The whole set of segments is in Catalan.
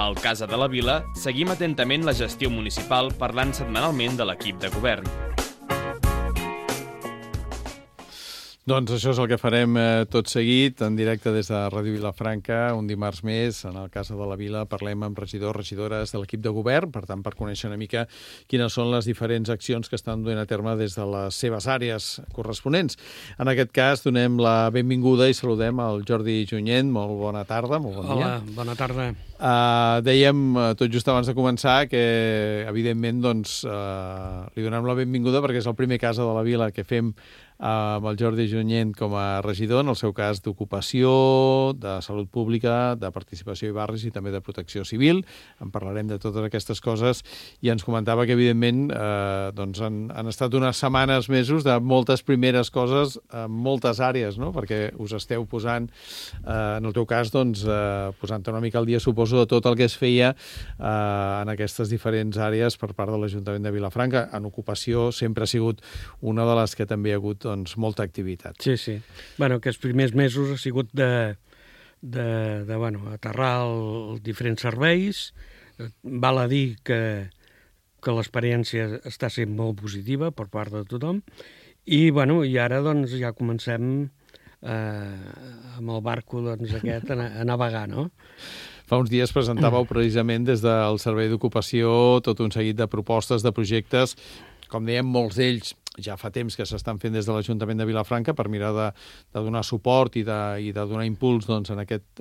Al Casa de la Vila seguim atentament la gestió municipal parlant setmanalment de l'equip de govern. Doncs això és el que farem tot seguit, en directe des de Ràdio Vilafranca, un dimarts més, en el Casa de la Vila, parlem amb regidors, regidores de l'equip de govern, per tant, per conèixer una mica quines són les diferents accions que estan duent a terme des de les seves àrees corresponents. En aquest cas, donem la benvinguda i saludem al Jordi Junyent. Molt bona tarda, molt bon dia. Hola, bona tarda. Dèiem, tot just abans de començar, que evidentment doncs, li donem la benvinguda perquè és el primer Casa de la Vila que fem amb el Jordi Junyent com a regidor, en el seu cas d'ocupació, de salut pública, de participació i barris i també de protecció civil. En parlarem de totes aquestes coses i ens comentava que, evidentment, doncs han estat unes setmanes, mesos de moltes primeres coses en moltes àrees, no? Perquè us esteu posant, en el teu cas, doncs, posant una mica al dia, suposo, de tot el que es feia en aquestes diferents àrees per part de l'Ajuntament de Vilafranca. En ocupació sempre ha sigut una de les que també hi ha hagut molta activitat. Sí, sí. Bueno, aquests primers mesos ha sigut de aterrar els diferents serveis. Val a dir que l'experiència està sent molt positiva per part de tothom i ara doncs ja comencem amb el barco doncs, aquest a navegar, no? Fa uns dies presentàveu precisament des del Servei d'Ocupació tot un seguit de propostes, de projectes, com dèiem, molts d'ells ja fa temps que s'estan fent des de l'Ajuntament de Vilafranca per mirar de donar suport i de donar impuls doncs, en aquest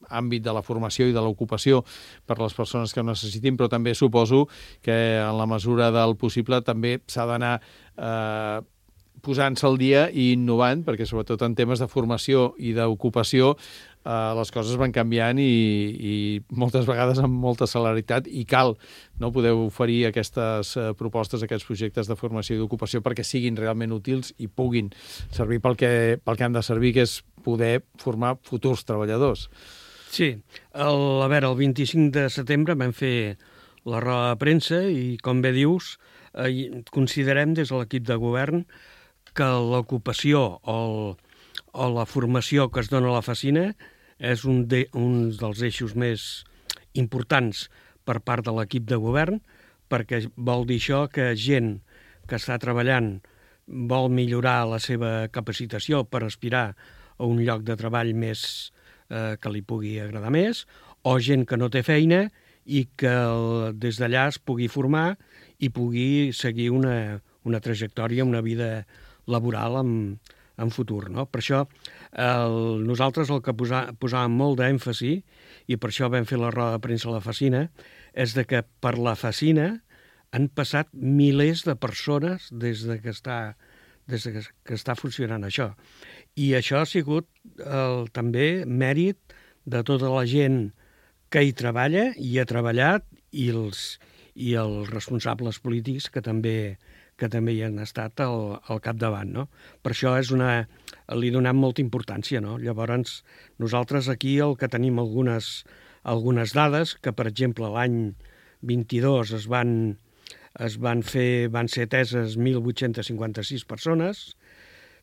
àmbit de la formació i de l'ocupació per a les persones que ho necessitin, però també suposo que en la mesura del possible també s'ha d'anar posant-se al dia i innovant, perquè sobretot en temes de formació i d'ocupació les coses van canviant i moltes vegades amb molta celeritat i cal poder oferir aquestes propostes, aquests projectes de formació i d'ocupació perquè siguin realment útils i puguin servir pel que han de servir, que és poder formar futurs treballadors. Sí, el 25 de setembre vam fer la roda de premsa i, com bé dius, considerem des de l'equip de govern que l'ocupació o la formació que es dona a la Facina és un dels eixos més importants per part de l'equip de govern, perquè vol dir això que gent que està treballant vol millorar la seva capacitació per aspirar a un lloc de treball més que li pugui agradar més, o gent que no té feina i que des d'allà es pugui formar i pugui seguir una trajectòria, una vida laboral en futur, no? Per això nosaltres el que posàvem molt d'èmfasi, i per això vam fer la roda de premsa a la Facina, és de que per la Facina han passat milers de persones des que està funcionant això. I això ha sigut també mèrit de tota la gent que hi treballa i ha treballat i els responsables polítics que també hi han estat al capdavant, no? Per això li donem molta importància, no? Llavors, nosaltres aquí el que tenim algunes dades, que per exemple l'any 22 van ser ateses 1.856 persones,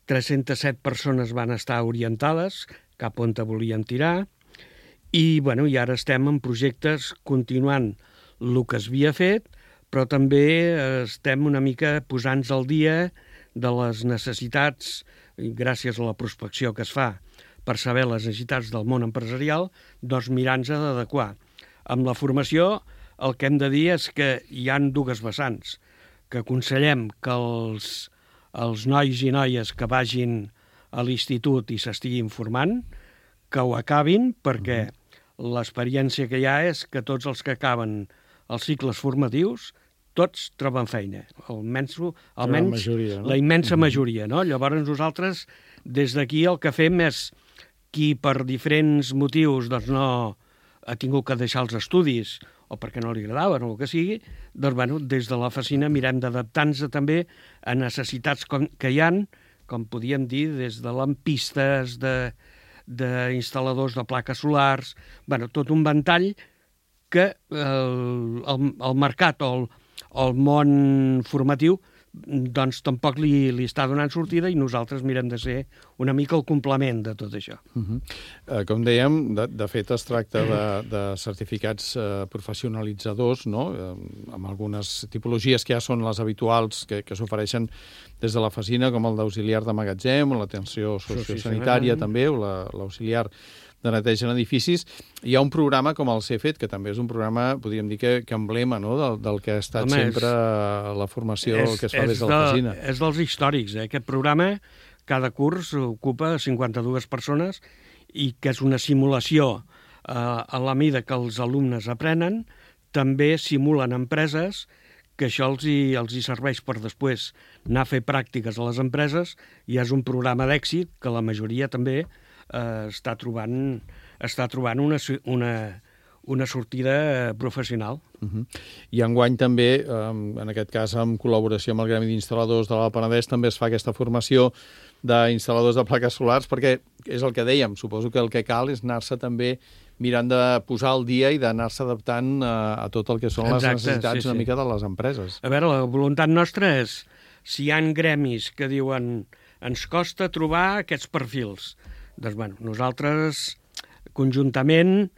307 persones van estar orientades cap on volien tirar, i ara estem en projectes continuant el que es havia fet, però també estem una mica posant-nos al dia de les necessitats, gràcies a la prospecció que es fa per saber les necessitats del món empresarial, doncs mirant-nos d'adequar. Amb la formació el que hem de dir és que hi ha dues vessants, que aconsellem que els nois i noies que vagin a l'institut i s'estiguin formant, que ho acabin, perquè l'experiència que hi ha és que tots els que acaben els cicles formatius tots troben feina, almenys la immensa majoria, no? Llavors nosaltres des d'aquí el que fem és qui per diferents motius doncs no ha tingut que deixar els estudis o perquè no li agradaven o el que sigui, doncs des de la Facina mirem d'adaptar-nos també a necessitats que hi ha, com podíem dir, des de lampistes, d'instal·ladors de plaques solars, tot un ventall que el mercat o el món formatiu doncs tampoc li està donant sortida i nosaltres mirem de ser una mica el complement de tot això. Com dèiem, de fet es tracta de certificats professionalitzadors, no? Amb algunes tipologies que ja són les habituals que s'ofereixen des de la FACINA, com el d'auxiliar de magatzem, o l'atenció sociosanitària també, o l'auxiliar de neteja en edificis. Hi ha un programa com el CEFET, que també és un programa, podríem dir que emblema, no?, del que ha estat sempre la formació que es fa des de la FACINA. És dels històrics, eh? Aquest programa, cada curs ocupa 52 persones i que és una simulació a la mida que els alumnes aprenen. També simulen empreses, que això els hi serveix per després anar a fer pràctiques a les empreses, i és un programa d'èxit que la majoria també està trobant una sortida professional. I enguany també, en aquest cas en col·laboració amb el Gremi d'Instal·ladors de l'Alt Penedès, també es fa aquesta formació d'instal·ladors de plaques solars, perquè és el que dèiem, suposo que el que cal és anar-se també mirant de posar al dia i d'anar-se adaptant a tot el que són les necessitats una mica de les empreses. A veure, la voluntat nostra és, si hi ha gremis que diuen ens costa trobar aquests perfils, doncs, bueno, nosaltres conjuntament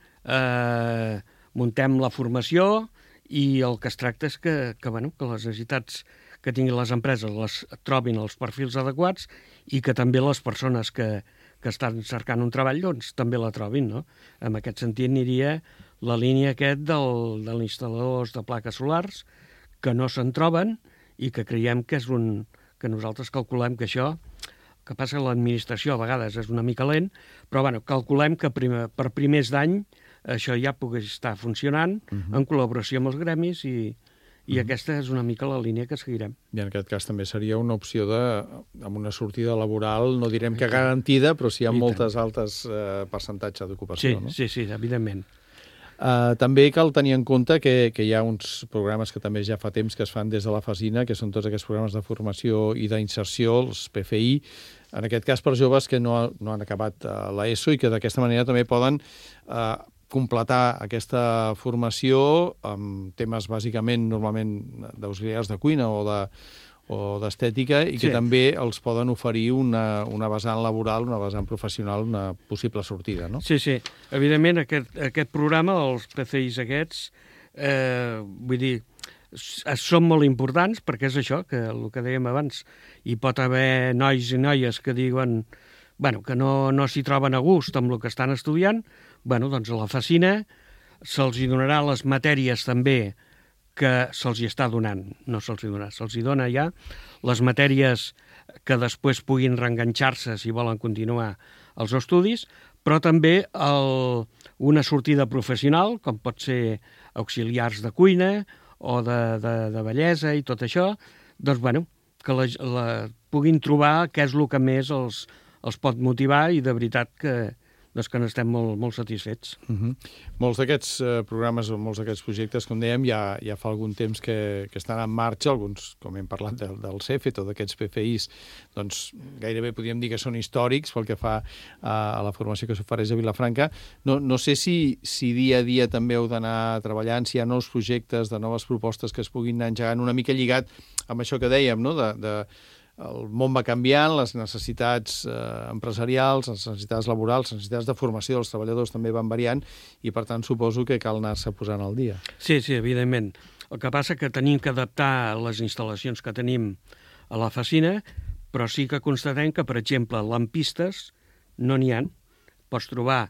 muntem la formació i el que es tracta és que les necessitats que tinguin les empreses les trobin els perfils adequats i que també les persones que estan cercant un treball doncs també la trobin, no? En aquest sentit aniria la línia dels instal·ladors de plaques solars que no se'n troben i que creiem que és que nosaltres calculem que això, que passa que l'administració a vegades és una mica lent, però calculem que per primers d'any això ja pugui estar funcionant en col·laboració amb els gremis i aquesta és una mica la línia que seguirem. I en aquest cas també seria una opció amb una sortida laboral, no direm que garantida, però sí amb moltes altes percentatge d'ocupació. Sí, evidentment. També cal tenir en compte que hi ha uns programes que també ja fa temps que es fan des de la FACINA, que són tots aquests programes de formació i d'inserció, els PFI, en aquest cas per joves que no han acabat l'ESO i que d'aquesta manera també poden completar aquesta formació amb temes bàsicament normalment d'auxiliars de cuina o d'estètica i que també els poden oferir una vessant laboral, una vessant professional, una possible sortida, no? Sí. Evidentment, aquest programa, els PCIs aquests, vull dir, són molt importants perquè és això, que el que dèiem abans, hi pot haver nois i noies que diuen que no s'hi troben a gust amb el que estan estudiant, doncs a la FACINA se'ls donarà les matèries també que se'ls hi està donant, no se'ls hi donarà, se'ls hi dona ja les matèries que després puguin reenganxar-se si volen continuar els estudis, però també una sortida professional, com pot ser auxiliars de cuina o de bellesa i tot això, doncs, que puguin trobar què és el que més els pot motivar i de veritat que n'estem molt satisfets. Molts d'aquests programes o molts d'aquests projectes, com dèiem, ja fa algun temps que estan en marxa, alguns, com hem parlat del CEFET o d'aquests PFIs, doncs gairebé podríem dir que són històrics pel que fa a la formació que s'ofereix a Vilafranca. No sé si dia a dia també heu d'anar treballant, si hi ha nous projectes de noves propostes que es puguin anar engegant, una mica lligat amb això que dèiem, no?, el món va canviant, les necessitats empresarials, les necessitats laborals, les necessitats de formació dels treballadors també van variant i, per tant, suposo que cal anar-se posant al dia. Sí, evidentment. El que passa que tenim que adaptar les instal·lacions que tenim a la FACINA, però sí que constatem que, per exemple, lampistes no n'hi ha. Pots trobar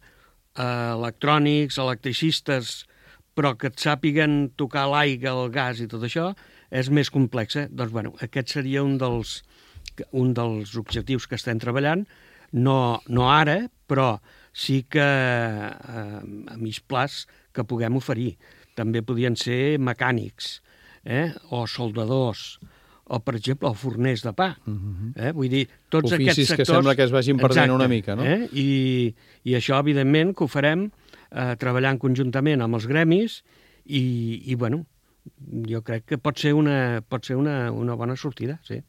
electrònics, electricistes, però que et sàpiguen tocar l'aigua, el gas i tot això, és més complex. Doncs, aquest seria un dels objectius que estem treballant, no ara, però sí que a mig plaç que puguem oferir. També podien ser mecànics, o soldadors, o, per exemple, forners de pa. Vull dir, tots aquests sectors... Oficis que sembla que es vagin perdent una mica, no? I això, evidentment, que ho farem treballant conjuntament amb els gremis i jo crec que pot ser una bona sortida, sí.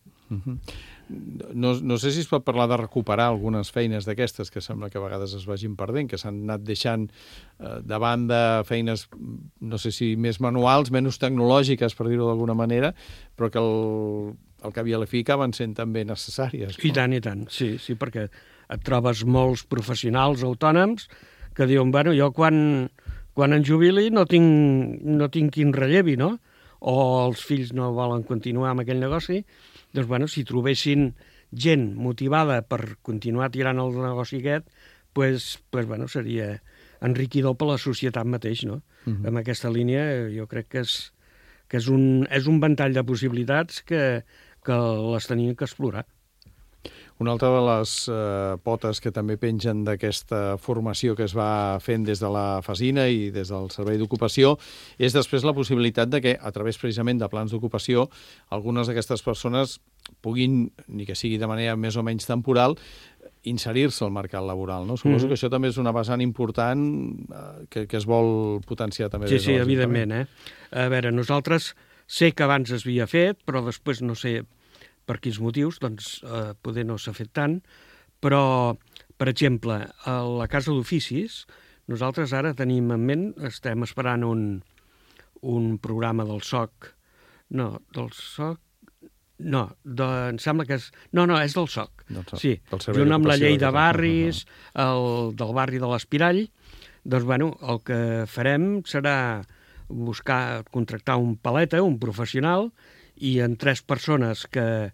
No sé si es pot parlar de recuperar algunes feines d'aquestes que sembla que a vegades es vagin perdent, que s'han anat deixant de banda feines, no sé si més manuals, menys tecnològiques, per dir-ho d'alguna manera, però que al cap i a la fi acaben sent també necessàries. I tant, sí, perquè et trobes molts professionals autònoms que diuen, bueno, jo quan em jubili no tinc qui em rellevi, no? O els fills no volen continuar amb aquell negoci, doncs, bueno, si trobessin gent motivada per continuar tirant el negoci aquest, doncs, bueno, seria enriquidor per la societat mateix, no? Amb aquesta línia jo crec que és un ventall de possibilitats que les tenim que explorar. Una altra de les potes que també pengen d'aquesta formació que es va fent des de la FASINA i des del Servei d'Ocupació és després la possibilitat de que, a través precisament de plans d'ocupació, algunes d'aquestes persones puguin, ni que sigui de manera més o menys temporal, inserir-se al mercat laboral, no? Suposo que això també és una vessant important que es vol potenciar també. Sí, evidentment. A veure, nosaltres sé que abans es havia fet, però després no sé per quins motius, doncs poder no s'ha fet tant, però, per exemple, a la Casa d'Oficis, nosaltres ara tenim en ment, estem esperant un programa del SOC, em sembla que és... No, és del SOC. Sí, junt amb la llei de barris, del barri de l'Espirall, doncs, bueno, el que farem serà contractar un paleta, un professional, i en 3 persones que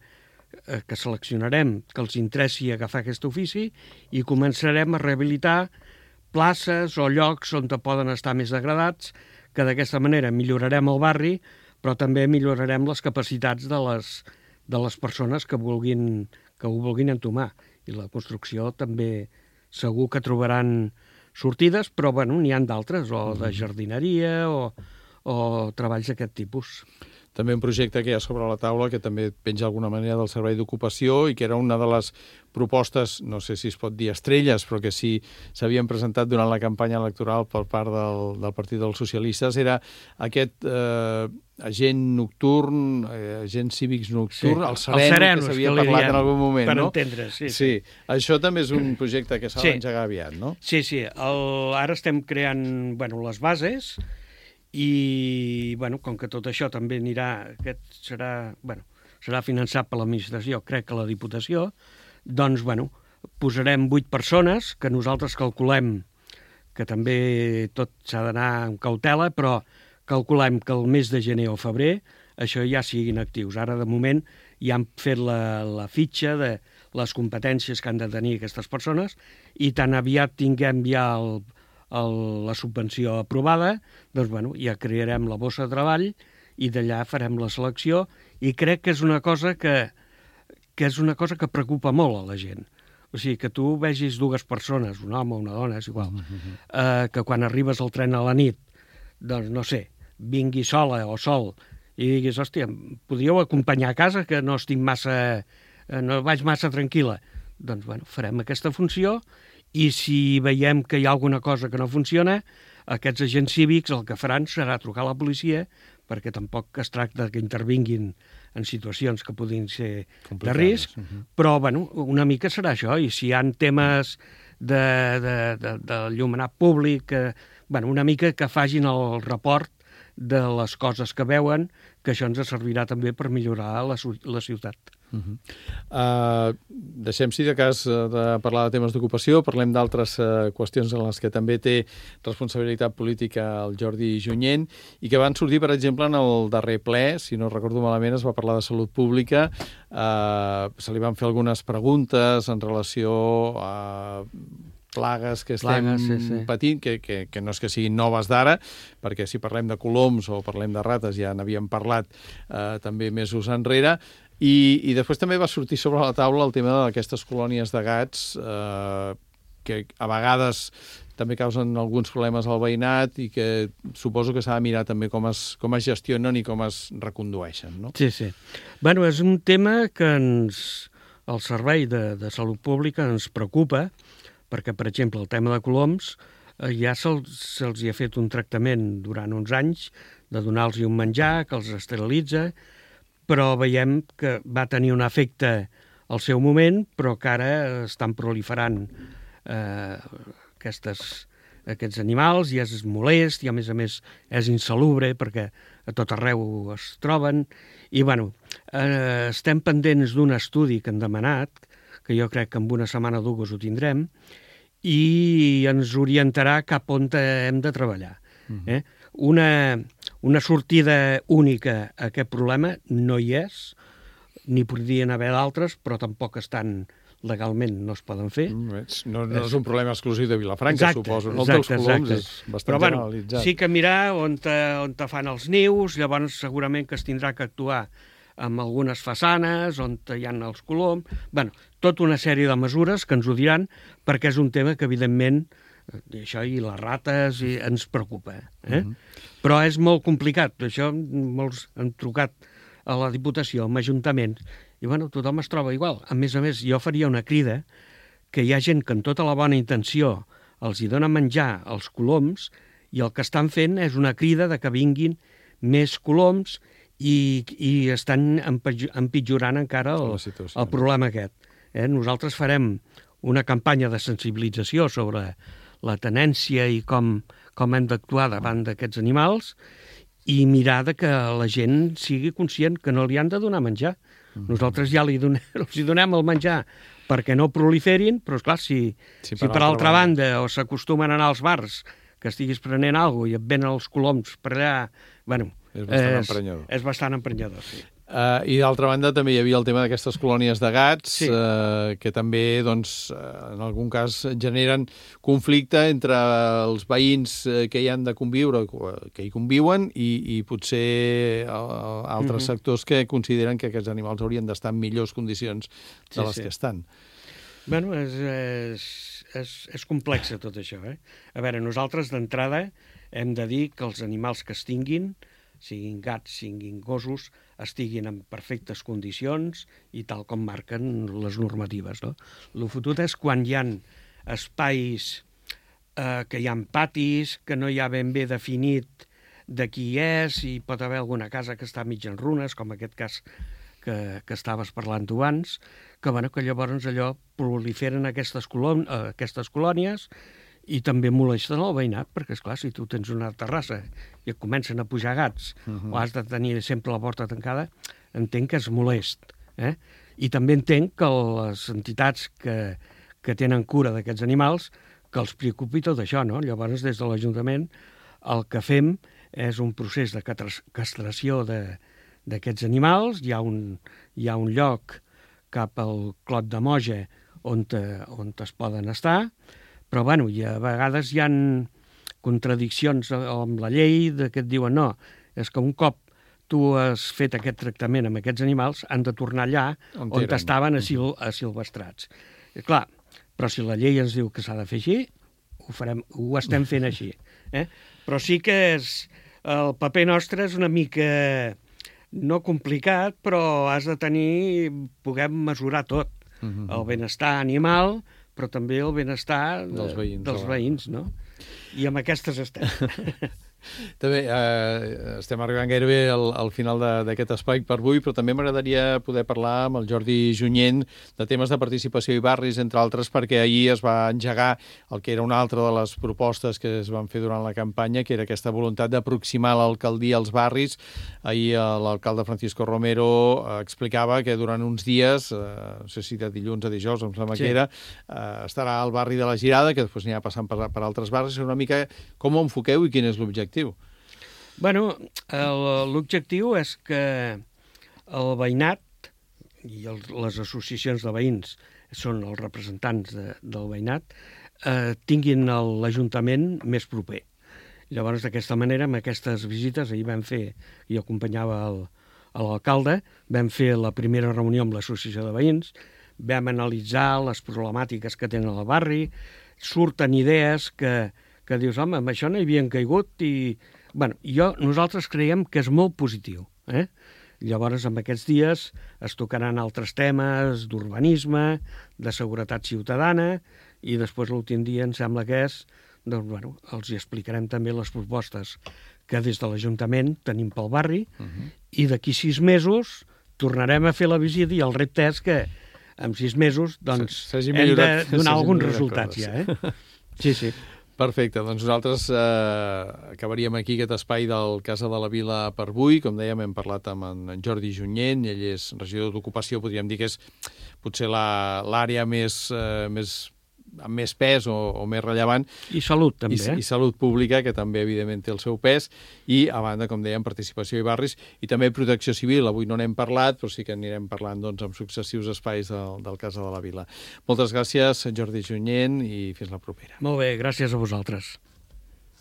seleccionarem que els interessi agafar aquest ofici i començarem a rehabilitar places o llocs on poden estar més degradats, que d'aquesta manera millorarem el barri, però també millorarem les capacitats de les persones que ho vulguin entomar. I la construcció també segur que trobaran sortides, però bueno, n'hi ha d'altres, o de jardineria o treballs d'aquest tipus. També un projecte que hi ha sobre la taula que també penja d'alguna manera del Servei d'Ocupació i que era una de les propostes, no sé si es pot dir estrelles, però que sí s'havien presentat durant la campanya electoral per part del Partit dels Socialistes, era aquest agent nocturn, agent cívics nocturn, el sereno, que s'havia parlat en algun moment, per no? Entendre, sí. Això també és un projecte que s'ha d'engegar aviat, no? Sí. Ara estem creant les bases i, com que tot això també serà finançat per l'administració, crec que la Diputació, doncs, posarem 8 persones, que nosaltres calculem que també tot s'ha d'anar amb cautela, però calculem que el mes de gener o febrer això ja siguin actius. Ara, de moment, ja han fet la fitxa de les competències que han de tenir aquestes persones i tan aviat tinguem ja la subvenció aprovada, doncs, ja crearem la bossa de treball i d'allà farem la selecció i crec que és una cosa que preocupa molt a la gent. O sigui, que tu vegis 2 persones, un home o una dona, és igual, que quan arribes al tren a la nit, doncs, no sé, vingui sola o sol i diguis, hòstia, podríeu acompanyar a casa que no vaig massa tranquil·la. Doncs, farem aquesta funció i si veiem que hi ha alguna cosa que no funciona, aquests agents cívics el que faran serà trucar a la policia, perquè tampoc es tracta que intervinguin en situacions que puguin ser de risc, però una mica serà això, i si hi ha temes d'enllumenat públic, una mica que facin el report de les coses que veuen, que això ens servirà també per millorar la ciutat. Deixem, si de cas, de parlar de temes d'ocupació, parlem d'altres qüestions en les que també té responsabilitat política el Jordi Junyent i que van sortir, per exemple, en el darrer ple, si no recordo malament, es va parlar de salut pública, se li van fer algunes preguntes en relació a plagues que estem patint, que no és que siguin noves d'ara, perquè si parlem de coloms o parlem de rates ja n'havíem parlat també mesos enrere, i després també va sortir sobre la taula el tema d'aquestes colònies de gats que a vegades també causen alguns problemes al veïnat i que suposo que s'ha de mirar també com es gestionen i com es recondueixen, no? Sí. És un tema que el Servei de Salut Pública ens preocupa, perquè, per exemple, el tema de coloms ja se'ls ha fet un tractament durant uns anys de donar-los un menjar que els esterilitza, però veiem que va tenir un efecte al seu moment, però que ara estan proliferant aquestes aquests animals, i és molest, i a més és insalubre perquè a tot arreu es troben. I bueno, estem pendents d'un estudi que han demanat, que jo crec que en una setmana o dues ho tindrem, i ens orientarà cap on hem de treballar. Una sortida única a aquest problema no hi és, ni podrien haver d'altres, però tampoc estan legalment, no es poden fer. No és un problema exclusiu de Vilafranca, suposo. El dels coloms és bastant generalitzat. Sí que mirar on fan els nius, llavors segurament que es tindrà que actuar amb algunes façanes, on hi ha els coloms... Bueno, tota una sèrie de mesures que ens ho diran, perquè és un tema que, evidentment, això i les rates ens preocupa. Però és molt complicat. Això molts han trucat a la Diputació, a Ajuntament, i bueno, tothom es troba igual. A més, jo faria una crida que hi ha gent que amb tota la bona intenció els hi dona menjar als coloms i el que estan fent és una crida de que vinguin més coloms i estan empitjorant encara el problema aquest. Nosaltres farem una campanya de sensibilització sobre la tenència i com hem d'actuar davant d'aquests animals i mirar que la gent sigui conscient que no li han de donar menjar. Nosaltres ja els donem el menjar perquè no proliferin, però esclar, si per altra banda o s'acostumen a anar als bars que estiguis prenent alguna cosa i et venen els coloms per allà, bueno, és bastant emprenyador, sí. I d'altra banda també hi havia el tema d'aquestes colònies de gats, que també, doncs, en algun cas generen conflicte entre els veïns que hi han de conviure, que hi conviuen, i potser altres sectors que consideren que aquests animals haurien d'estar en millors condicions de les que estan. Bueno, és complex tot això, A veure, nosaltres d'entrada hem de dir que els animals que es tinguin, siguin gats, siguin gossos, estiguin en perfectes condicions i tal com marquen les normatives. El fotut és quan hi ha espais, que hi ha patis, que no hi ha ben bé definit de qui és, i pot haver alguna casa que està mig en runes, com aquest cas que estaves parlant tu abans, que llavors allò proliferen aquestes colònies i també molesten el veïnat, perquè, esclar, si tu tens una terrassa i et comencen a pujar gats o has de tenir sempre la porta tancada, entenc que és molest. I també entenc que les entitats que tenen cura d'aquests animals, que els preocupi tot això, no? Llavors, des de l'Ajuntament, el que fem és un procés de castració d'aquests animals. Hi ha un lloc cap al Clot de Moja on es poden estar, però bueno, i a vegades hi ha contradiccions amb la llei que et diuen no, és que un cop tu has fet aquest tractament amb aquests animals han de tornar allà on estaven asilvestrats. Clar, però si la llei ens diu que s'ha de fer així, ho estem fent així. Però sí que el paper nostre és una mica no complicat, però has de poder mesurar tot. El benestar animal, però també el benestar dels veïns, no? I amb aquestes estem. També estem arribant gairebé al final d'aquest espai per avui, però també m'agradaria poder parlar amb el Jordi Junyent de temes de participació i barris, entre altres, perquè ahir es va engegar el que era una altra de les propostes que es van fer durant la campanya, que era aquesta voluntat d'aproximar l'alcaldia als barris. Ahir l'alcalde Francisco Romero explicava que durant uns dies, no sé si de dilluns a dijous, em sembla que era, estarà al barri de la Girada, que després anirà passant per altres barris. Una mica com ho enfoqueu i quin és l'objectiu? Bueno, l'objectiu és que el veïnat i les associacions de veïns són els representants del veïnat, tinguin l'Ajuntament més proper. Llavors, d'aquesta manera, amb aquestes visites, ahir vam fer, jo acompanyava l'alcalde, vam fer la primera reunió amb l'associació de veïns, vam analitzar les problemàtiques que tenen al barri, surten idees que dius, home, amb això no hi havien caigut i... Bueno, nosaltres creiem que és molt positiu. Llavors, en aquests dies es tocaran altres temes d'urbanisme, de seguretat ciutadana, i després l'últim dia em sembla que és, doncs, bueno, els hi explicarem també les propostes que des de l'Ajuntament tenim pel barri, i d'aquí 6 mesos tornarem a fer la visita i el repte és que en 6 mesos doncs, hem de donar alguns resultats ja. Sí. Perfecte, doncs nosaltres acabaríem aquí aquest espai del Casa de la Vila per avui. Com dèiem, hem parlat amb en Jordi Junyent, ell és regidor d'Ocupació, podríem dir que és potser l'àrea amb més pes o més rellevant. I salut, també. I salut pública, que també, evidentment, té el seu pes. I, a banda, com dèiem, participació i barris. I també protecció civil. Avui no n'hem parlat, però sí que anirem parlant en successius espais del Casa de la Vila. Moltes gràcies, Jordi Junyent, i fins la propera. Molt bé, gràcies a vosaltres.